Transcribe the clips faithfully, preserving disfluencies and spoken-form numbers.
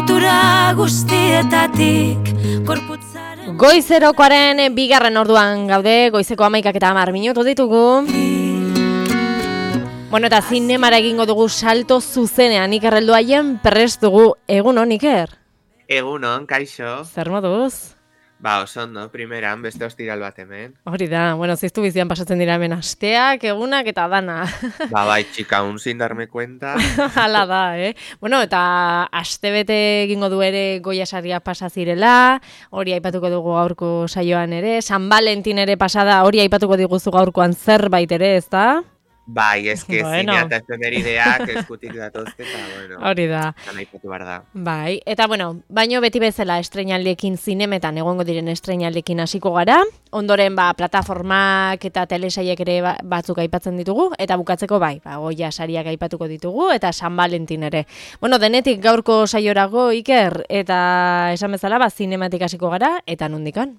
lotura guztietatik korputzaren. Goizerokoaren bigarren orduan gaude, goizeko hamaikak eta hamar minutu ditugu. Bueno, eta zinemara egingo dugu salto zuzenean, Iker helduaien prest dugu. Egunon, Iker? Egunon, kaixo. Zer moduz? Ba, oso ondo, primeran, beste ostiral bat hemen. Hori da, bueno, ziztu bizian pasatzen dira hemen asteak, egunak eta dana. Ba, bai, txika, un sin darme cuenta. Hala da, eh? Bueno, eta astebete egingo du ere Goya saria pasa zirela, hori aipatuko dugu gaurko saioan ere, San Valentin ere pasada, hori aipatuko diguzu gaurkoan zerbait ere, ezta? Bai, eske Bueno. zinea eta efemerideak eskutik datozte, eta, bueno, Hori da. eta naipatu behar da. Bai, eta bueno, baino beti bezala estreinaldekin zinemetan egongo diren estreinaldekin hasiko gara, ondoren ba plataformak eta telesaiek ere ba- batzuk aipatzen ditugu, eta bukatzeko bai, ba Goya sariak aipatuko ditugu, eta San Valentin ere. Bueno, denetik gaurko saiorago, Iker, eta esan bezala ba zinematik hasiko gara, eta nondikan?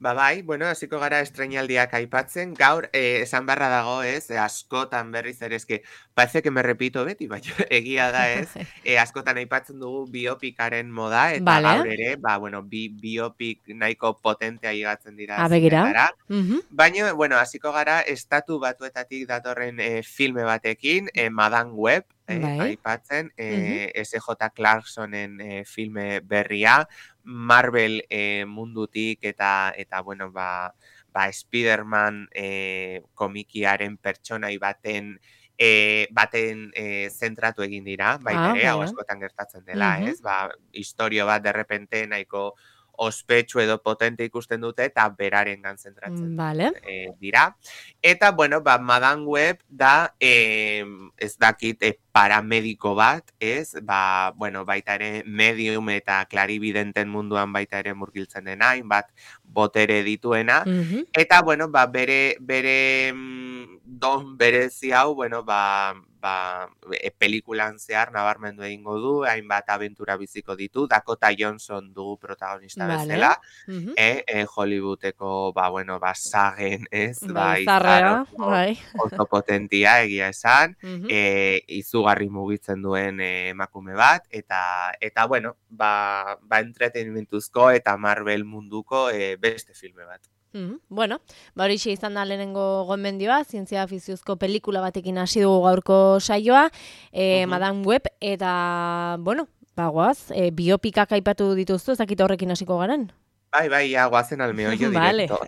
Ba, bai, bueno, hasiko gara estreinaldiak aipatzen, gaur, eh, esan barra dago, ez, eh, askotan berriz ere, eske, parece que me repito beti, baina egia da, ez, eh, askotan aipatzen dugu biopikaren moda, eta Vale. gaur ere, ba, bueno, bi biopik nahiko potentea higatzen dira Ah, begira. zinetara. Mhm. Baina, bueno, hasiko gara estatu batuetatik datorren eh, filme batekin, eh, Madame Web, eh, Bai. aipatzen, eh, S J Clarksonen eh, filme berria, Marvel eh, mundutik eta, eta bueno, ba, ba Spider-Man eh, komikiaren pertsonai baten eh, baten eh, zentratu egin dira, baita Ah, ere, hau bai. askotan gertatzen dela, Mhm. ez? Ba, historio bat derrepente nahiko ospetsu edo potente ikusten dute eta berarengan zentratzen Vale. eh, dira. Eta, bueno, ba, Madame Web da, eh, ez dakit, eh, paramediko bat, ez? Ba, bueno, baita ere medium eta klaribidenten munduan baita ere murgiltzen dena, hainbat botere dituena. Mhm. Eta, bueno, ba, bere, bere mm, don berezi hau, bueno, ba, ba, e, pelikulan zehar nabarmendu egingo du, hainbat abentura biziko ditu, Dakota Johnson dugu protagonista Vale. bezala, Mhm. eh, eh, Hollywoodeko, ba, bueno, ba, sagen, ez? Ba, Bai, zarrea, izar oso, bai. oso potentia, egia esan, Mhm. eh, izugarri mugitzen duen eh, emakume bat, eta, eta bueno, ba, ba entretenimentuzko eta Marvel munduko eh, beste filme bat. Mhm. Bueno, ba horixe izan da lehenengo gomendioa, zientzia fiziozko pelikula batekin hasi dugu gaurko saioa, e, Mhm. Madame Web, eta, bueno, bagoaz, e, biopikak aipatu dituzu, ez dakit horrekin hasiko garen? Bai, bai, ja, guazen al meollo Vale. directo.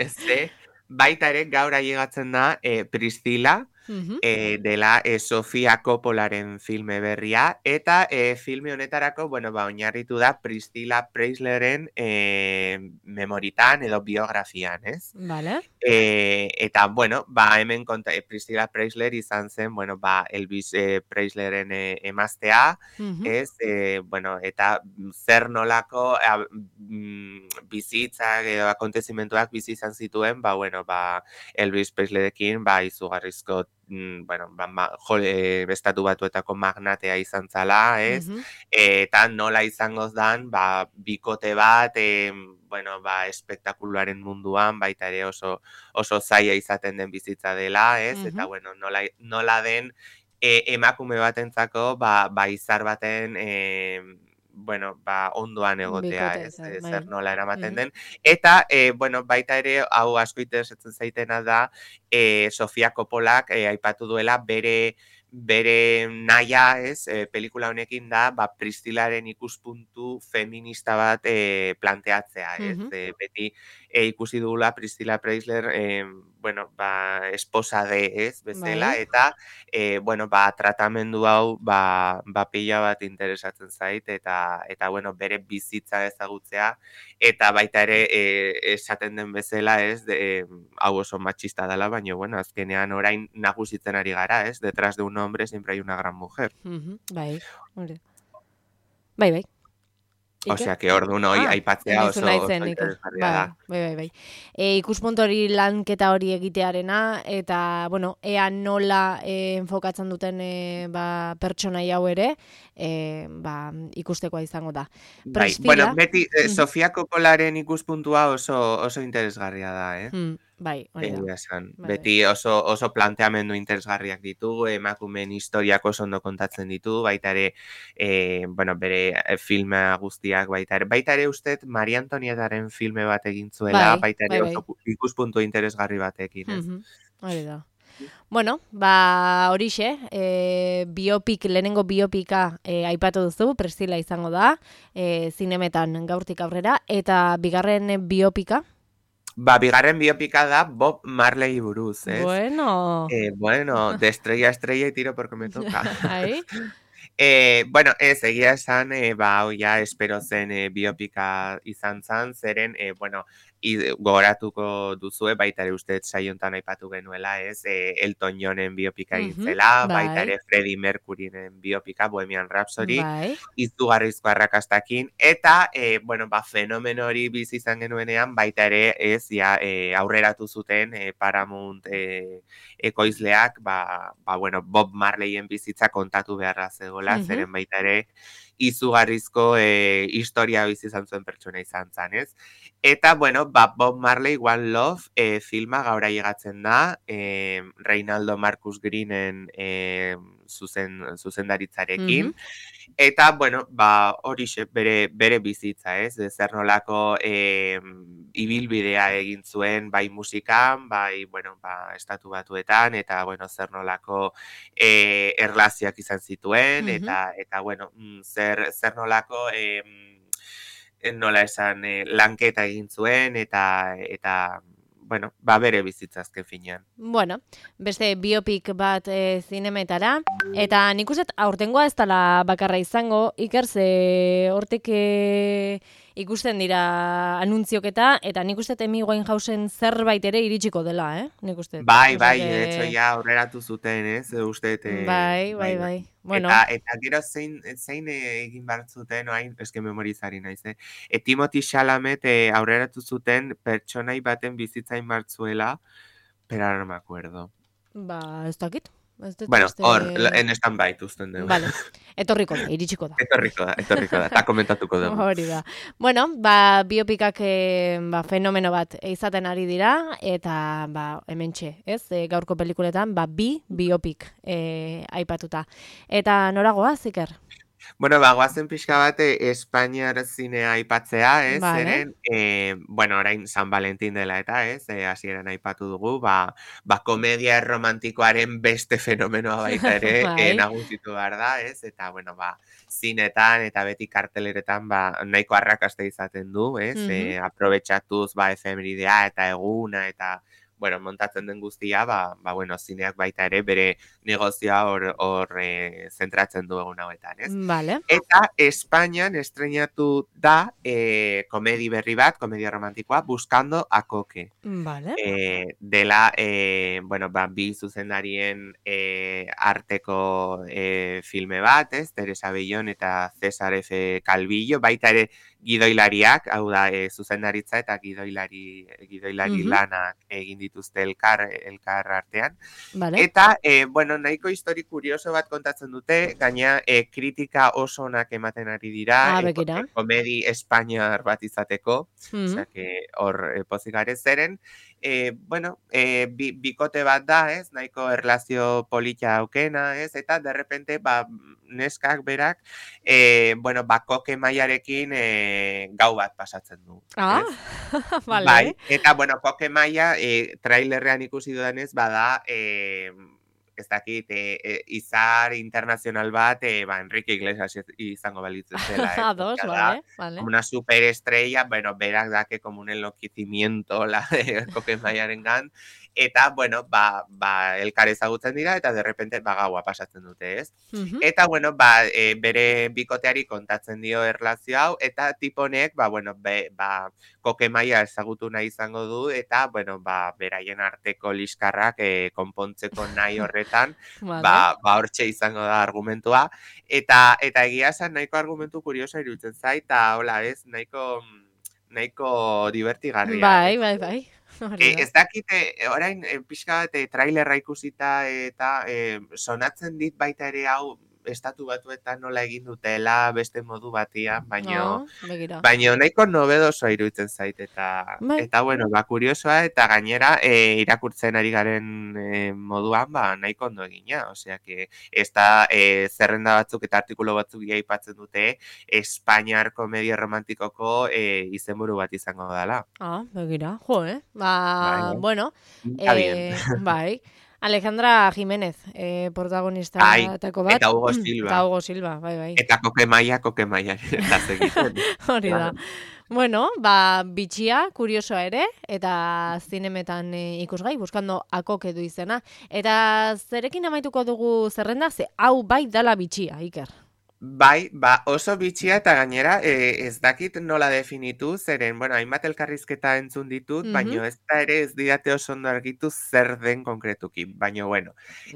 Ze, baita ere gaur ailegatzen da eh, Priscila, Mhm. eh, dela eh, Sofia Coppolaren filme berria, eta eh, filme honetarako, bueno, ba, oinarritu da Priscilla Preisleren eh, memoritan edo biografian, ez? Vale. Eh, eta, bueno, ba, hemen konta, eh, Priscilla Preisler izan zen, bueno, ba, Elvis eh, Preisleren eh, emaztea, Mhm. ez, eh, bueno, eta zer nolako a, mm, bizitzak edo akontezimentuak bizi izan zituen, ba, bueno, ba, Elvis Preislerekin, ba, izugarrizko, mm, bueno, ba, ma, jo, eh, estatu batuetako magnatea izan zala, ez, Mhm. eta nola izango dan, ba, bikote bat, eh, bueno, ba, espektakuluaren munduan, baita ere oso, oso zaila izaten den bizitza dela, ez, eta, Mhm. bueno, nola, nola den e, emakume batentzako, ba, ba izar baten, e, bueno, ba, ondoan egotea, Bikote, ez, zer, e, bai. zer nola eramaten Mhm. den. Eta, e, bueno, baita ere, hau asko interesatzen zaitena da, e, Sofia Coppolak e, aipatu duela bere bere naia, ez, e, pelikula honekin da, ba, Priscilaren ikuspuntu feminista bat e, planteatzea, ez? Mhm. E, beti e, ikusi dugula Priscilla Preisler, e, bueno, ba, esposa de, ez, bezala, Bai. eta, e, bueno, ba, tratamendu hau, ba, ba pila bat interesatzen zait, eta, eta, bueno, bere bizitza ezagutzea, eta baita ere, e, esaten den bezala, ez, de, e, hau oso matxista dela, baina, bueno, azkenean orain nagusitzen ari gara, ez, detrás de un hombre siempre hay una gran mujer. Mhm. Bai, hori. Bai, bai. Iker? Osea, que orduan hoi Ah, aipatzea nizu oso, naizen, oso Iker. interesgarria Bai, da. bai, bai, bai. E, ikuspuntu hori lanketa hori egitearena, eta, bueno, ea nola e, enfokatzen duten e, ba, pertsonai hau ere, e, ba, ikustekoa izango da. Bai, Priscilla, bueno, beti eh, mhm. Sofia Coppolaren ikuspuntua oso, oso interesgarria da, eh? Hmm. Bai, hori da. Egia esan. Bai, Beti oso, oso planteamendu interesgarriak ditu, emakumeen historiak oso ondo kontatzen ditu, baita ere, e, bueno, bere eh, filma guztiak baita ere. Baita ere ustet, Maria Antonietaren filme bat egin zuela, bai, baita bai, ere bai. oso ikuspuntu interesgarri batekin, ez? Mhm, hori da. Bueno, ba horixe, e, biopik, lehenengo biopika e, aipatu duzu, Priscilla izango da, e, zinemetan gaurtik aurrera, eta bigarren biopika? Ba, bigarren biopika da Bob Marley buruz, ez? Bueno. Eh, bueno, de estrella a estrella y tiro porque me toca. Ai? Eh, bueno, ez, egia esan, eh, ba, hau ja, espero zen eh, biopika izan zan, zeren, eh, bueno, i, gogoratuko duzue, baita ere uste saiontan aipatu genuela, ez, eh, Elton Johnen biopika egin Mhm, zela, baita bai, ere Freddie Mercuryren biopika, Bohemian Rhapsody, bai. izugarrizko arrakastakin, eta, eh, bueno, ba, fenomeno hori bizi izan genuenean, baita ere, ez, ja, eh, aurreratu zuten eh, Paramount eh, ekoizleak, ba, ba, bueno, Bob Marleyen bizitza kontatu beharra zegoela, Mhm, zeren baita ere, izugarrizko e, historia bizi izan zuen pertsona izan zan, ez? Eta, bueno, ba, Bob Marley One Love e, filma gaur ailegatzen da, e, Reinaldo Marcus Greenen e, zuzen, zuzendaritzarekin, mhm. eta, bueno, ba, horixe bere, bere bizitza, ez? Zer nolako e, ibilbidea egin zuen, bai musikan, bai, bueno, ba, estatu batuetan, eta, bueno, zer nolako e, erlazioak izan zituen, Mhm. eta, eta bueno, mm, zer, zer nolako, e, nola esan, e, lanketa egin zuen, eta, eta, bueno, ba, bere bizitza azken finean. Bueno, beste biopik bat e, zinemetara, eta nik uste aurtengoa ez dela bakarra izango, Iker, ze hortik e, ikusten dira anunzioketa, eta nik uste Amy Winehousen zerbait ere iritsiko dela, eh? Nik uste. Bai, Osea bai, de hecho, que... ja aurreratu zuten, ez, uste, Bai, bai, bai, bai. bai. Bueno, Eta, eta gero zein, zein eh, egin behar zuten, oain, eske memorizari naiz, eh? E, Timothy Chalamet eh, aurreratu zuten pertsonai baten bizitzain bartzuela, pero ahora no me acuerdo. ba, ez dakit. Ez dut Bueno, beste... hor, la- en stand-by uzten dugu. Vale, etorriko da, iritsiko da. Etorriko da, etorriko da, eta komentatuko dugu. Hori da. Bueno, ba, biopikak e, ba, fenomeno bat izaten ari dira, eta ba, hementxe, ez? E, gaurko pelikuletan, ba, bi biopik e, aipatuta. Eta noragoa, Iker? Bueno, ba, guazen pixka bat eh, Espainiar zinea aipatzea, ez? Vale. Zeren, eh, bueno, orain San Valentin dela eta, ez? Eh, hasieran aipatu dugu, ba, ba komedia romantikoaren beste fenomenoa baita ere eh, Bai. nagusitu behar da, ez? Eta, bueno, ba, zinetan eta beti karteleretan, ba, nahiko arrakasta izaten du, ez? Mhm. Eh, aprobetxatuz, ba, efemeridea eta eguna eta, bueno, montatzen den guztia, ba, ba, bueno, zineak baita ere bere negozioa hor, hor eh, zentratzen du egun hauetan, ez? Vale. Eta Espainian estrenatu da eh, komedi berri bat, komedia romantikoa, Buscando a Coque. Vale. Eh, dela, eh, bueno, ba, bi zuzendarien eh, arteko eh, filme bat, ez? Teresa Bellón eta César F. Calvillo, baita ere gidoilariak, hau da, eh, zuzendaritza eta gidoilari, gidoilari Mhm. lanak egin dituzte elkar, elkar artean. Vale. Eta, eh, bueno, nahiko histori kurioso bat kontatzen dute, gaina eh, kritika oso onak ematen ari dira, Ah, eh, begira. eh, komedi espainiar bat izateko, Mhm. osea, que hor eh, pozik gare zeren, eh, bueno, eh, bi, bikote bat da, ez, nahiko erlazio polita aukena, ez, eta derrepente, ba, neskak berak, eh, bueno, ba, koke maiarekin eh, gau bat pasatzen du, Ah, ez? vale. Bai, eta, bueno, koke maia, eh, trailerrean ikusi dudanez, bada, eh, ez dakit, eh, eh, izar internazional bat, eh, ba, Enrique Iglesias izango balitz zela, eh? Ados, Osea, vale, da, vale. como una superestrella, bueno, berak dake como un enloquecimiento la de koke maiaren gan, eta, bueno, ba, ba, elkar ezagutzen dira, eta derrepente, ba, gaua pasatzen dute, ez? Mhm. Eta, bueno, ba, e, bere bikoteari kontatzen dio erlazio hau, eta tiponek, ba, bueno, be, ba, koke maia ezagutu nahi izango du, eta, bueno, ba, beraien arteko liskarrak e, konpontzeko nahi horretan, Vale. ba, ba, hortxe izango da argumentua, eta, eta egia esan nahiko argumentu kurioso iruditzen zait, eta, hola, ez, nahiko, nahiko divertigarria. Bai, ez? bai, bai. Hori E, da. ez dakite, orain, e, pixka bat, e, trailerra ikusita eta e, sonatzen dit baita ere hau, estatu batuetan nola egin dutela beste modu batian, baino Oh, begira. baino nahiko nobedosoa iruditzen zait eta Bai. eta bueno, ba kuriosoa eta gainera e, irakurtzen ari garen e, moduan ba nahiko ondo egina, osea que esta e, zerrenda batzuk eta artikulu batzuk ia aipatzen dute Espainiar komedia romantikoko e, izenburu bat izango dela. Ah, begira. Jo, eh? Bai, Ba, bai. bueno, Pinta bien. eh, bai. Alejandra Jiménez, eh, Ai, protagonista-etako bat. eta Hugo Eta Silva. Hugo Silva, bai, bai. Eta Koke Maia, Koke Maia eta segiten. Hori da. Bueno, ba, bitxia, kuriosoa ere, eta zinemetan e, ikusgai, buskando akok edu izena. Eta zerekin amaituko dugu zerrenda, ze hau bai dala bitxia, Iker. Bai, ba oso bitxia eta gainera e, ez dakit nola definitu, zeren, bueno, hainbat elkarrizketa entzun ditut, Mhm. baino ez da ere ez didate oso ondo argitu zer den konkretuki, baino bueno.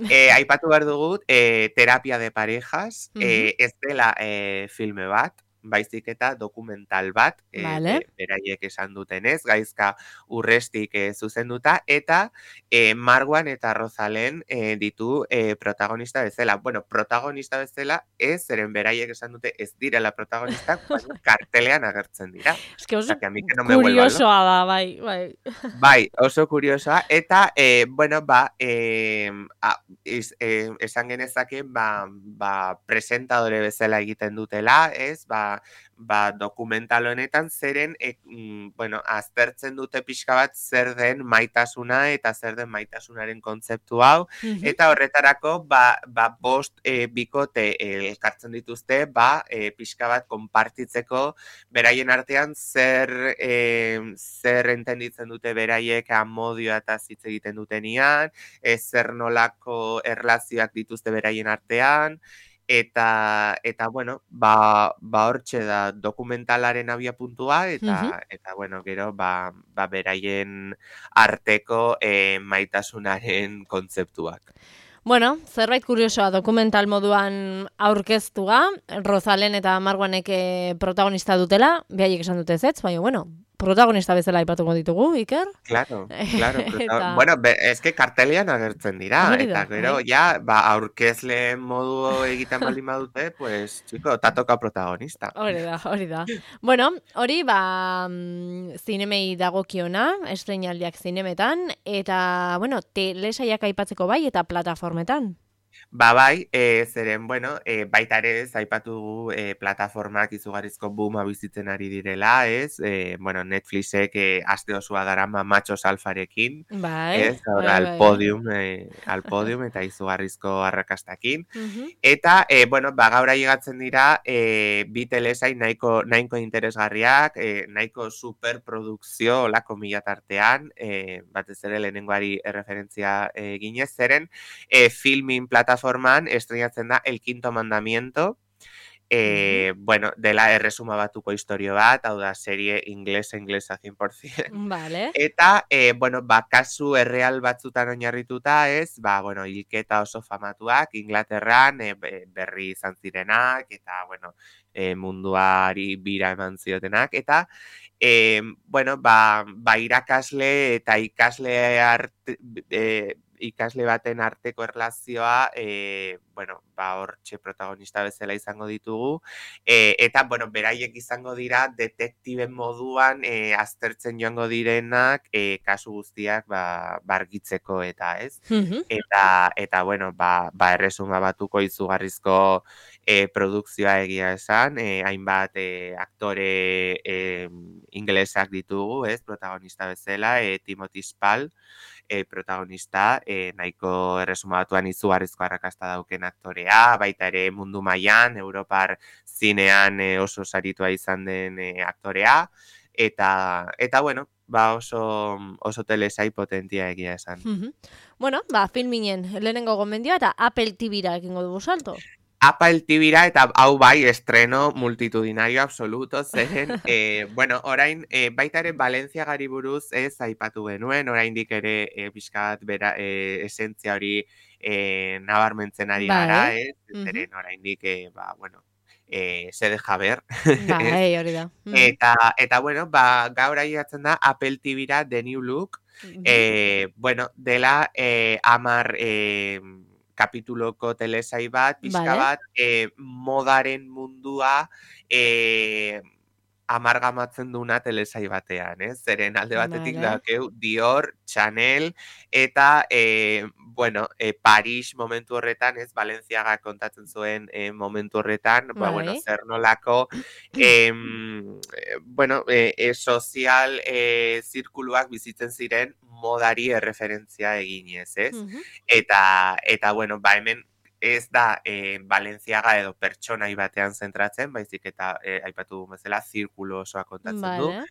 E, aipatu behar dugu, e, terapia de parejas, Mhm. e, ez dela e, filme bat, baizik eta dokumental bat, e, Vale. be- beraiek esan dutenez, gaizka urrestik e, zuzenduta, eta e, Marwan eta Rozalen e, ditu e, protagonista bezala. Bueno, protagonista bezala ez, zeren beraiek esan dute ez direla protagonistak, baina kartelean agertzen dira. Eske oso Osea, que a mí que no me vuelva loco. kuriosoa da, bai, bai. Bai, oso kuriosoa, eta, e, bueno, ba, e, a, iz, e, esan genezake, ba, ba, presentadore bezala egiten dutela, ez, ba, ba, dokumental honetan zeren, e, mm, bueno, aztertzen dute pixka bat zer den maitasuna eta zer den maitasunaren kontzeptu hau, Mhm. eta horretarako, ba, ba bost e, bikote e, elkartzen dituzte, ba, e, pixka bat konpartitzeko beraien artean zer e, zer entenditzen dute beraiek amodioa eta hitz egiten dutenian, e, zer nolako erlazioak dituzte beraien artean, eta eta bueno, ba ba hortxe da dokumentalaren abiapuntua eta Mhm. eta bueno, gero ba ba beraien arteko e, maitasunaren kontzeptuak. Bueno, zerbait kuriosoa dokumental moduan aurkeztua, Rozalen eta Marwanek eh, protagonista dutela, behaiek esan dute ezetz, baina bueno, protagonista bezala aipatuko ditugu, Iker. Claro, claro. prota- Eta Bueno, be, eske kartelean agertzen dira, hori da, eta gero bai. ja, ba, aurkezle modu egiten baldin badute, pues, chico, ta toka protagonista. Hori da, hori da. Bueno, hori ba mm, zinemei dagokiona, estreinaldiak zinemetan, eta, bueno, telesaiak aipatzeko bai, eta plataformetan. Ba bai, e, zeren, bueno, e, baita ere ez aipatu dugu e, plataformak izugarrizko booma bizitzen ari direla, ez? E, bueno, Netflixek e, aste osoa darama Machos Alfarekin, Bai, ez? Gaur bai, al bai, bai. podium, e, al podium eta izugarrizko arrakastakin. Mhm. Eta, e, bueno, ba, gaur ailegatzen dira e, bi telesain nahiko, nahiko interesgarriak, e, nahiko superprodukzio olako mila tartean, e, batez ere lehenengoari erreferentzia e, ginez, zeren e, filmin plataforman estrenatzen da El Quinto Mandamiento, e, bueno, dela erresuma batuko historio bat, hau da, serie inglesa, inglesa cien por ciento. Vale. Eta, e, bueno, ba, kasu erreal batzutan oinarrituta ez, ba, bueno, hilketa oso famatuak, Inglaterran, e, be- berri izan zirenak, eta, bueno, e, munduari bira eman ziotenak, eta, e, bueno, ba, ba, irakasle eta ikasle arte, e, ikasle baten arteko erlazioa, e, bueno, ba, hortxe protagonista bezala izango ditugu, e, eta, bueno, beraiek izango dira detektiben moduan e, aztertzen joango direnak e, kasu guztiak ba, bargitzeko eta ez. Mhm. Eta, eta bueno, ba, ba erresuma batuko izugarrizko e, produkzioa egia esan, e, hainbat e, aktore e, inglesak ditugu, ez, protagonista bezala, e, Timothy Spall, e, protagonista, e, nahiko erresuma batuan izugarrizko arrakasta dauken aktorea, baita ere mundu mailan, Europar zinean e, oso saritua izan den e, aktorea, eta, eta bueno, ba oso, oso telesai potentia egia esan. Mhm. Bueno, ba, filminen lehenengo gomendioa eta Apple T V-ra ekingo dugu salto. Apple T V-ra eta hau bai estreno multitudinario absoluto zeren, e, bueno, orain e, baita ere Valentziagari buruz ez aipatu genuen, oraindik ere e, pixkat bera e, esentzia hori e, nabarmentzen ari gara, Bai. ez? Mhm. Zeren oraindik, e, ba, bueno, e, se deja ver, ez? Bai, hori da. Mhm. Eta, eta bueno, ba, gaur ailegatzen da Apple T V-ra The New Look, Mhm. eh, bueno, dela eh, amar eh, kapituloko telesai bat, pixka Vale. bat, e, modaren mundua e, amargamatzen duna telesai batean, ez? Zeren alde batetik Vale. dakeu Dior, Chanel, eta, e, bueno, e, Paris momentu horretan, ez? Balenciaga kontatzen zuen e, momentu horretan, ba, bueno, Bai. zer nolako, em, e, bueno, e, e, sozial e, zirkuluak bizitzen ziren modari erreferentzia eginez, ez? Mhm. Eta, eta bueno, ba, hemen ez da e, Balenciaga edo pertsonai batean zentratzen, baizik eta e, aipatu dugun bezala zirkulo osoa kontatzen du. Vale.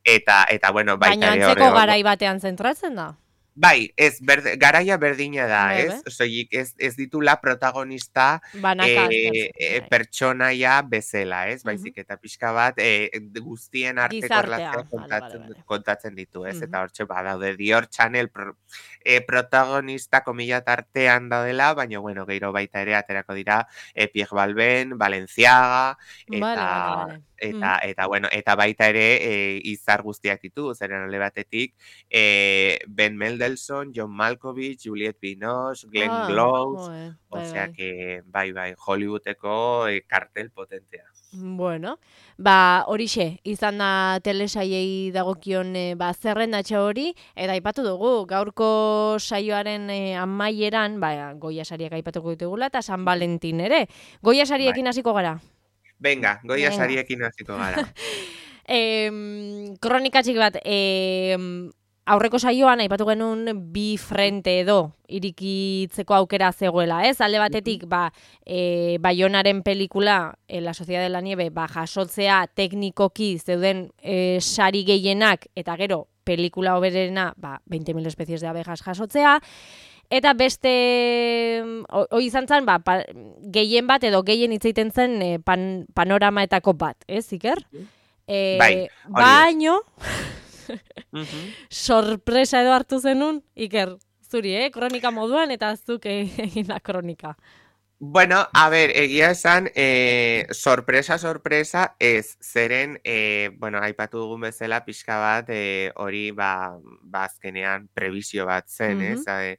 Eta, eta bueno, baita Baina ere antzeko hor- garai batean zentratzen da. Bai, ez, berde, garaia berdina da, Bai, ez? Soilik ez, ez ditula protagonista Banaka e, aztertzen, e, bai. pertsonaia bezala, ez? Mhm. Baizik eta pixka bat e, guztien arteko Gizartea, erlazioa vale, kontatzen, vale, vale. kontatzen ditu, ez? Mhm. Eta hortxe badaude Dior, Chanel pro, e, protagonista komila tartean daudela, baina bueno, gero baita ere aterako dira e, Pierre Balmain, Balenciaga, eta Vale, vale, vale. eta eta bueno, eta baita ere e, izar guztiak ditu, zeren alde batetik e, Ben Mendelsohn, John Malkovich, Juliette Binoche, Glenn Ah, Close, joe, bai, osea bai. que bai bai, Hollywoodeko e, kartel potentea. Bueno, ba, horixe, izan da telesaiei dagokion e, ba, zerrendatxo hori, eta aipatu dugu, gaurko saioaren e, amaieran, ba, Goya sariak aipatuko ditugula, eta San Valentin ere. Goya sariekin hasiko gara. Venga, Goya Venga. sariekin hasiko gara. Em, kronika txiki bat, em, aurreko saioan aipatu genuen bi frente edo irikitzeko aukera zegoela, ez? Alde batetik, ba, e, Baionaren pelikula, e, La Sociedad de la Nieve, ba, jasotzea teknikoki zeuden e, sari gehienak, eta gero, pelikula hoberena, ba, veinte mil especies de abejas jasotzea, eta beste, hoi izan zen, ba, pa, gehien bat edo gehien hitz egiten zen e, pan, panoramaetako bat, ez, Iker? E, Bai, hori da. baino, Mhm. sorpresa edo hartu zenun, Iker, zuri, eh? Kronika moduan, eta zuk egin da kronika. Bueno, a ver, egia esan, eh, sorpresa, sorpresa, ez, zeren, eh, bueno, aipatu dugun bezala pixka bat, eh, hori, ba, ba, azkenean prebizio bat zen, Mhm. ez? Eh,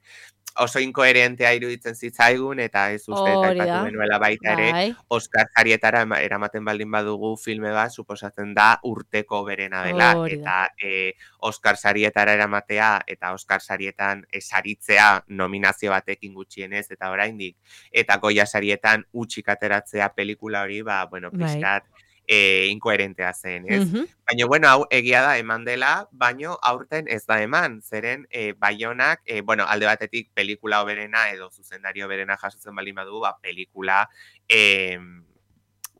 oso inkoherentea iruditzen zitzaigun, eta ez uste, eta Hori aipatu da. genuela baita ere, Bai. Oscar sarietara ema- eramaten baldin badugu filme bat, suposatzen da urteko berena dela, Hori da. eta eh, Oscar sarietara eramatea, eta Oscar sarietan esaritzea nominazio batekin gutxienez, eta oraindik, eta Goya sarietan utxik ateratzea pelikula hori, ba, bueno, Bai. pixkat e, inkoherentea zen, ez? Mhm. Baina, bueno, hau egia da eman dela, baino aurten ez da eman, zeren e, Baionak, e, bueno, alde batetik pelikula hoberena edo zuzendari hoberena jasotzen baldin badu, ba, pelikula e,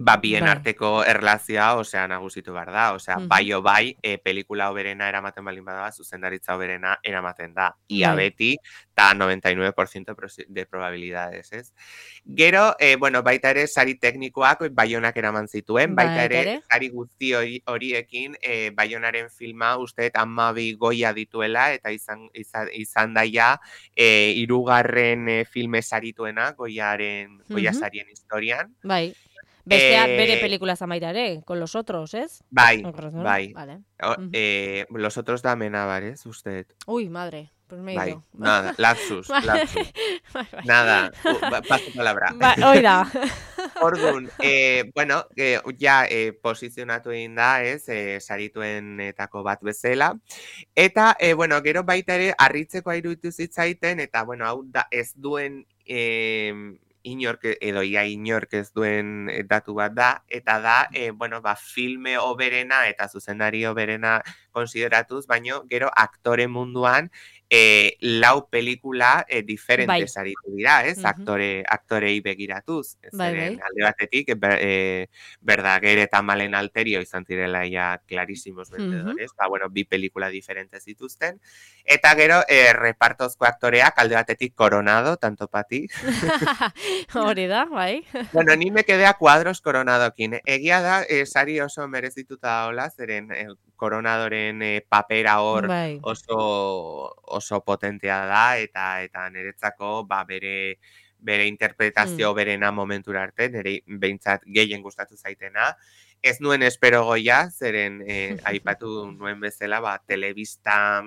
ba, bien Bai. arteko erlazioa, osea, nagusitu behar da, osea, Mhm. bai o bai, e, pelikula hoberena eramaten baldin bada, zuzendaritza hoberena eramaten da. Ia Bai. beti, eta noventa y nueve por ciento de probabilidades, ez? Gero, eh, bueno, baita ere, sari teknikoak Baionak eraman zituen, baita Baita ere, ere. sari guzti hori, horiekin eh, Baionaren filma usteet amabi Goya dituela, eta izan, izan, izan daia eh, irugarren eh, filme sarituena Goyaren, Goya Mhm. sarien historian. Bai. Bestea bere Eh, pelikula zamaita ere, con los otros, ez? Bai, Con los otros, bai. Vale. O, Mhm. eh, los otros de Amenábar, ¿eh? Usted. Uy, madre, pues me he Bai, ido. nada, lapsus, Bai, lapsus. bai, bai. Nada, uh, ba- paso palabra. Ba, hoi da. Orduan, eh, bueno, eh, ja eh, posizionatu egin da, ez, eh, sarituenetako bat bezala. Eta, eh, bueno, gero baita ere, harritzekoa iruditu zitzaiten, eta, bueno, hau da, ez duen eh, inork, edo ia inork ez duen eh, datu bat da, eta da, eh, bueno, ba, filme hoberena eta zuzendari hoberena konsideratuz, baino, gero aktore munduan, eh, lau pelikula eh, diferentes Bai. aritu dira, ez? Mhm. Aktore, aktorei begiratuz. Bai, Zeren bai. alde batetik, ber, eh, Verdaguer eta Malen Alterio izan zirela ja clarísimos vendedores, ba, bueno, bi pelikula diferentes zituzten. Eta gero, eh, repartozko aktoreak alde batetik Coronado, tanto pati. Hori da, bai. Bueno, ni me quedé a cuadros Coronadokin. Egia da, eh, sari oso merezituta hola, zeren eh, Coronadoren eh, papera hor Bai. oso oso potentea da, eta eta niretzako ba, bere bere interpretazio berena momentura arte, nire behintzat gehien gustatu zaitena. Ez nuen espero goia, zeren eh, aipatu nuen bezala, ba, telebista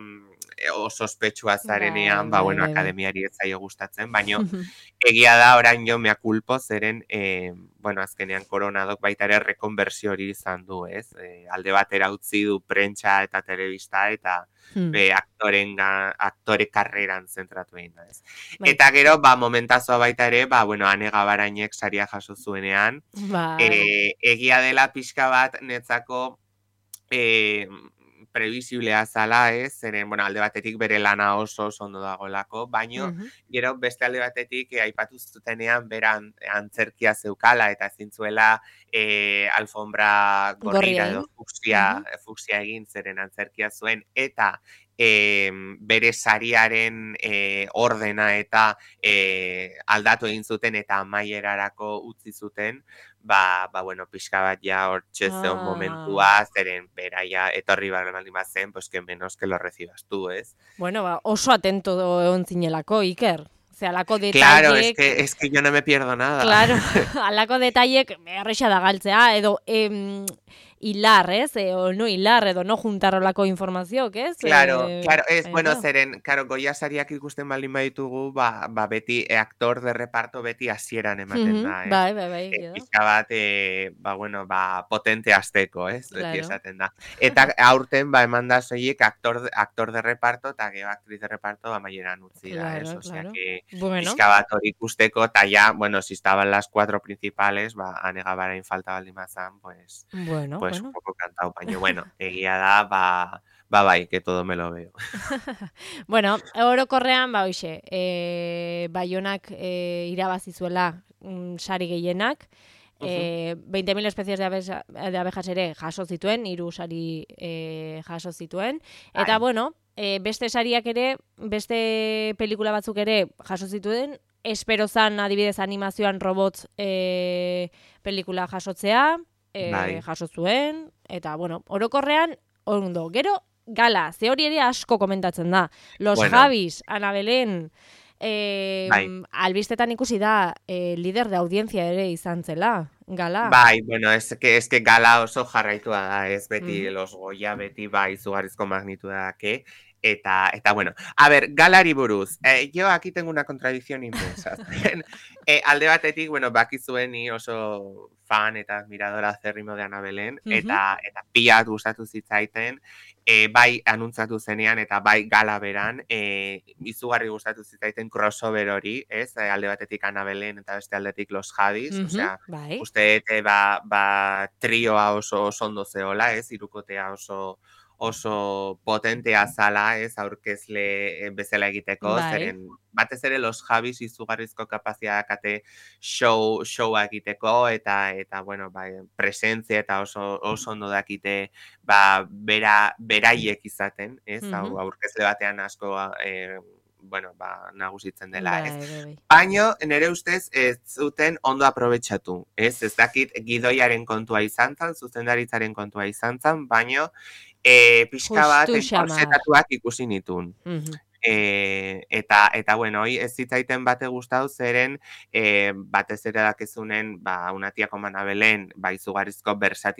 oso ospetsua zarenean, Bai, ba, bai, bueno, bai, bai. akademiari ez zaio gustatzen, baino egia da orain jo mea culpo zeren, eh, bueno, azkenean koronadok baita ere rekonversio hori izan du, ez? Eh, alde batera utzi du prentsa eta telebista eta Hmm, be aktoren aktore karreran zentratu egin da, ez? bai, Eta gero, ba, momentazoa baita ere, ba, bueno, Ane Gabarainek saria jaso zuenean, bai. eh, egia dela pixka bat netzako eh, previsiblea zala, ez? Zeren, bueno, alde batetik bere lana oso oso ondo dagoelako, baino, Mhm. gero beste alde batetik eh, aipatu zutenean beran antzerkia zeukala eta ezin zuela eh, alfombra Gorria gorrira edo egin. fuksia, Mhm. fuksia egin zeren antzerkia zuen, eta eh, bere sariaren eh, ordena eta eh, aldatu egin zuten eta amaierarako utzi zuten, ba, ba bueno, pixka bat ja hor txezeon Ah, momentua, zeren beraia etorri baldin bazen, pues que menos que lo recibas tú, ez? bueno, ba, oso atento egon zinelako, Iker. Ze, alako Claro, es detaiek, que, es que yo no me pierdo nada. claro, alako detaiek erresa da galtzea, edo em, hilar, ez? E, o no hilar, edo no juntar olako informazioak, ez? Claro, E, claro, ez, baina, bueno, claro. zeren, claro, Goya sariak ikusten baldin baditugu, ba, ba beti, e, aktor de reparto beti hasieran ematen Mhm, da, ez? bai, bai, bai, E, egia da. pixka bat, e, ba, bueno, ba, potente azteko, ez? Beti Claro. esaten da. Eta aurten, ba, eman da soilik aktor, de- aktor de reparto eta gero actriz de reparto amaieran utzi da, ez? Claro, Osea, claro. que Bueno, pixka bat hori ikusteko, eta ya, bueno, si estaban las cuatro principales, ba, Ane Gabarain falta baldin bazan, pues, bueno, pues un bueno. poco cantado, baina, bueno, egia da, ba, ba, bai, que todo me lo veo. Bueno, orokorrean, ba, hoxe, e, Baionak e, irabazi zuela mm, sari gehienak, e, veinte mil especies de, abeja, de abejas ere jaso zituen, hiru sari e, jaso zituen, eta, Bai. bueno, e, beste sariak ere, beste pelikula batzuk ere jaso zituen, espero zan adibidez animazioan robots e, pelikula jasotzea, e, Bai. jaso zuen, eta, bueno, orokorrean, ondo, gero, gala, ze hori ere asko komentatzen da. Los Bueno. Javis, Ana Belén, eh, Bai. albistetan ikusi da eh, lider de audiencia ere izan zela, gala. Bai, bueno, es que, es que gala oso jarraitua da, ez beti Mhm. los Goya, beti bai izugarrizko magnitudake, eta, eta bueno, a ver, galari buruz, eh, yo aquí tengo una contradicción inmensa. eh, alde batetik, bueno, bakizuen ni oso fan eta admiradora acérrimo de Ana Belén, Mhm. eta, eta pila gustatu zitzaiten, eh, bai anuntzatu zenean eta bai gala beran, eh, izugarri gustatu zitzaiten crossover hori, ez? Eh, alde batetik Ana Belén eta beste aldetik los Javis, Mhm, osea, bai. uste dut, ba, ba, trioa oso, oso ondo zeola, ez? Hirukotea oso oso potentea zala, ez? Aurkezle bezala egiteko, Bai. zeren batez ere los Javis izugarrizko kapazia dakate show, showa egiteko, eta, eta bueno, bai, presentzia eta oso, oso ondo dakite, ba, bera, beraiek izaten, ez? Mhm. Hau, aurkezle batean asko, eh, bueno, ba, nagusitzen dela, ez? Bai, bai, bai. Baino, nire ustez, ez zuten ondo aprobetxatu, ez? Ez dakit gidoiaren kontua izan zan, zuzendaritzaren kontua izan zan, baino, e, pixka bat Justu xamar. enkorsetatuak ikusi nitun. Mhm. E, eta, eta bueno, hoi ez zitzaiten bate gustau zeren e, batez ere dakizunen, ba, una tía como Ana Belén, bai izugarrizko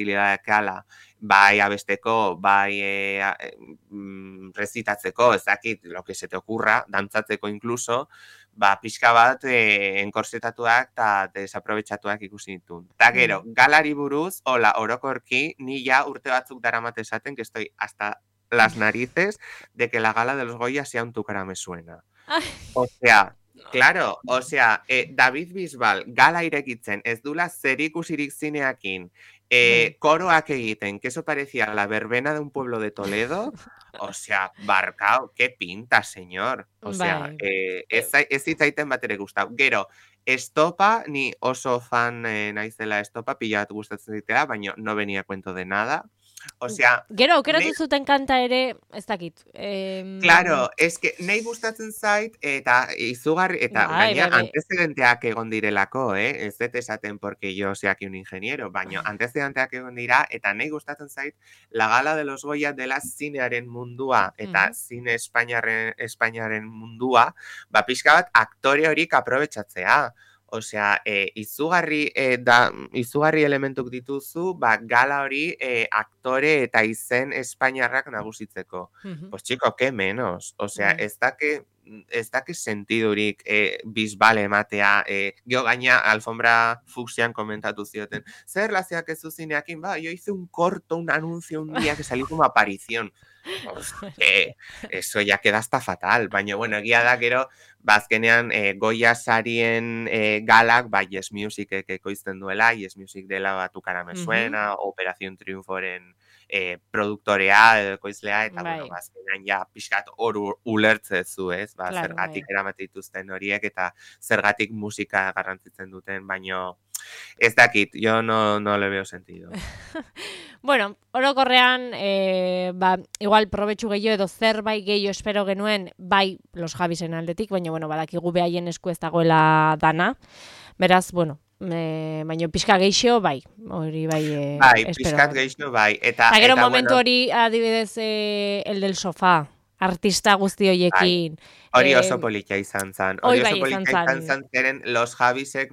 versatilidadekala, bai abesteko, bai e, a, e, mm, rezitatzeko, ez dakit, lo que se te ocurra, dantzatzeko incluso, ba, pixka bat e, enkorsetatuak eta desaprovechatuak ikusi ditun. Ta gero, galari buruz, hola, orokorki, ni ja urte batzuk daramat esaten, que estoy hasta las narices de que la gala de los Goya sea un tu cara me suena. O sea, claro, o sea, eh, David Bisbal gala irekitzen, ez dula zerikusirik zineakin, eh, koroak egiten, que eso parecía la verbena de un pueblo de Toledo, o sea, barcao, qué pinta, señor. O sea, Bai. eh, ez, zai- ez zitzaiten bat ere gustau. Gero, estopa, ni oso fan eh, naizela estopa, pila bat gustatzen zitea, baina no venía a cuento de nada. O sea, Gero, aukeratu ne- zuten kanta ere, ez dakit. Em, Claro, es que nahi gustatzen zait, eta izugarri, eta Bai, gainera bai, bai. antecedenteak egon direlako, eh? Ez dut esaten porque yo sea aquí un ingeniero, baina antecedenteak egon dira, eta nahi gustatzen zait, la gala de los Goya dela zinearen mundua, eta Mhm. zine Espainiaren, Espainiaren mundua, ba, pixka bat aktore horik aprobetxatzea. Osea, e, izugarri, e, da, izugarri elementuk dituzu, ba, gala hori e, aktore eta izen espainiarrak nagusitzeko. Mhm. Pues chico, que menos. Osea, Bai. ez dake, ez dake sentidurik e, bisbale ematea, e, gero gaina alfombra fucsian komentatu zioten. Zer relazioak ez zuzineakin, ba, yo hice un corto, un anuncio un día que salí como aparición. Pues, eh, eso ya queda hasta fatal, baina, bueno, egia da, gero, bazkenean e, Goya sarien e, galak, ba, Yes Musicek ekoizten duela, Yes Music dela ba, Tu cara me suena, uh-huh. Operación Triunforen e, produktorea edo ekoizlea, eta, bai. bueno, bazkenean ja pixkat hor ulertzezu, ez? Ba, Claro, zergatik bai. eramate dituzten horiek, eta zergatik musika garrantzitzen duten, baino ez dakit, yo no, no le veo sentido. Bueno, orokorrean, e, ba, igual probetxu gehiago edo zerbait gehiago espero genuen, bai los Javisen aldetik, baina, bueno, badakigu behaien esku ez dagoela dana. Beraz, bueno, e, baina pixka geixo, bai, hori bai, e, bai, espero. pixkat geixo, bai. Eta, Ta gero eta, momentu bueno, hori, adibidez, e, el del sofá, artista guzti hoiekin. Hori Eh, oso politia izan zan. hori Hori bai oso izan politia izan zan. zan, zeren los Javisek,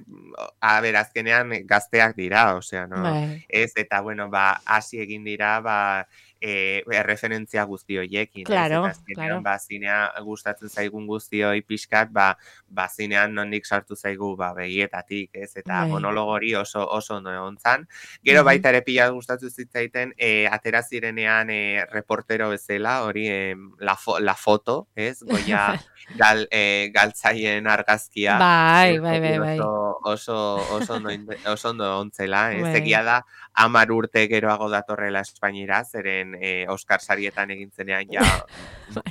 a ber, azkenean gazteak dira, osea, no? Bai. Ez, eta, bueno, ba, hasi egin dira, ba, e, erreferentzia guzti hoiekin. Claro, ez? Eta azkenean, claro. ba, zinea gustatzen zaigun guzti hoi pixkat, ba, ba, zinean nondik sartu zaigu, ba, begietatik, ez? Eta Bai. monologo hori oso, oso ondo egon zan. Gero Mhm. baita ere pila gustatu zitzaiten, e, atera zirenean e, reportero bezala, hori e, la, fo, la foto, ez? Goia gal, e, galtzaien argazkia. Bai, Ez, bai, bai, hori bai. Oso, oso, oso, ondo, inte- oso ondo ontzela, ez? Bai. Egia da, hamar urte geroago datorrela Espainira, zeren e, Oscar sarietan egin zenean ja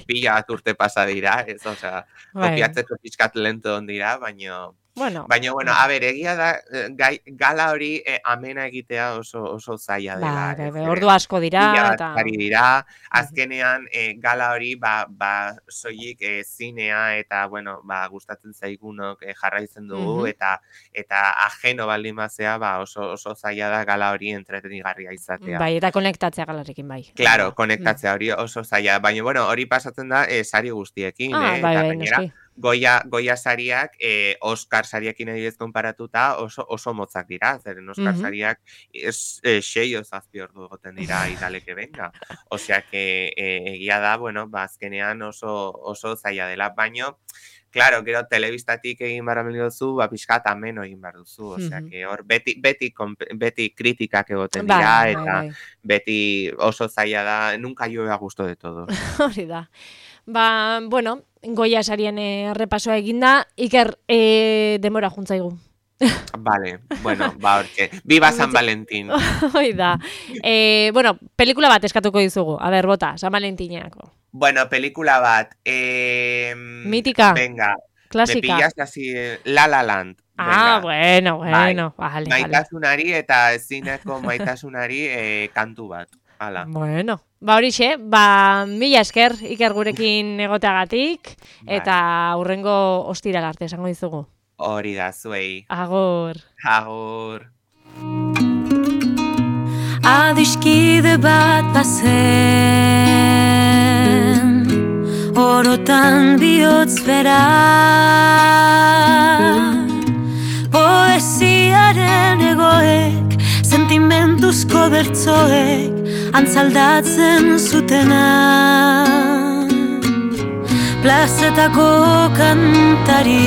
pila bat urte pasa dira, ez? Osea, Bai. kopiatzeko pixkat lento on dira, baino... Bueno, Baina, bueno, a ber, egia da, eh, gai, gala hori eh, amena egitea oso, oso zaila dela. bai, bai, ez? bai, Zeren ordu asko dira, pila bat eta... ari dira, azkenean eh, gala hori, ba, ba soilik eh, zinea eta, bueno, ba, gustatzen zaigunok eh, jarraitzen dugu, Mhm. eta eta ajeno baldin bazea, ba, oso, oso zaila da gala hori entretenigarria izatea. Bai, eta konektatzea galarekin, bai. Claro, Bai. konektatzea hori oso zaila, baina, bueno, hori pasatzen da eh, sari guztiekin, Ah, eh? bai, Eta bai, gainera, noski. Goya, Goya sariak, eh, Oscar sariekin adibidez konparatuta oso, oso motzak dira, zeren Oscar Mhm. sariak es, eh, sei o zazpi ordu egoten dira idaleke benga. Osea, que eh, egia da, bueno, ba, azkenean oso, oso zaila dela, baino, claro, gero telebistatik egin barra duzu, ba, pixkat ameno egin behar duzu, osea, Mhm. que hor beti, beti, konpe- beti kritikak egoten Bai, dira, bai, eta bai. beti oso zaila da, nunca llueve a gusto de todos. Hori da. Ba, bueno, Goya sarien eh, errepasoa eginda, Iker eh, demora juntzaigu. Vale, bueno, ba, hortxe. Viva San Valentín. Hoi da. Eh, bueno, pelikula bat eskatuko dizugu. A ber, bota, San Valentinako. Bueno, pelikula bat. Eh, Mítica. Venga, me Klasika. pillas así, eh, La La Land. Ah, Venga. bueno, bueno. Bai. Vale, vale. Maitasunari eta ezineko maitasunari eh, kantu bat. Hala. Bueno, ba horixe, ba mila esker Iker gurekin egoteagatik, Bai. eta hurrengo ostiral arte esango dizugu. Hori da, zuei. Agor. Agur. Adiskide bat bazen orotan bihotz bera poesiaren egoek sentimentuzko bertzoek antzaldatzen zutena plazetako kantari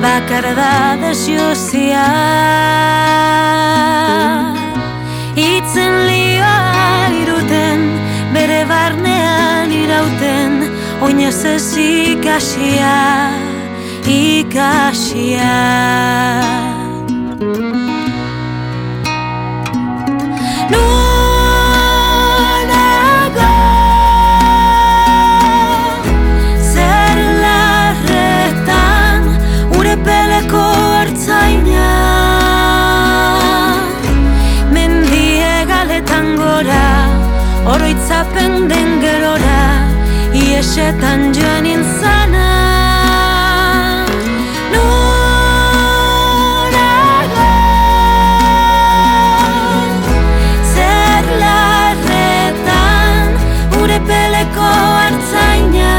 bakarra da desiozia itzen lioa iruten bere barnean irauten oinez ez ikasia ikasia oroitzapen den gerora iesetan joan intzana norago zer larretan ure peleko hartzaina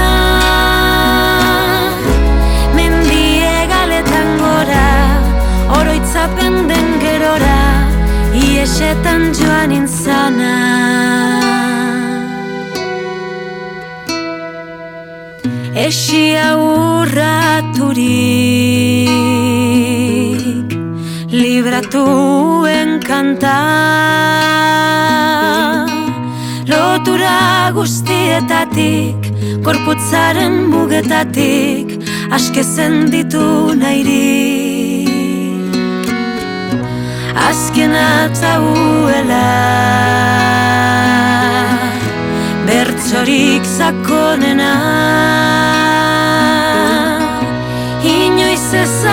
Iesetan joan intzana. Esia urraturik libratuen kanta, lotura guztietatik, gorputzaren mugetatik, askezen ditu nahirik. Azken atauela, bertsorik zakonena,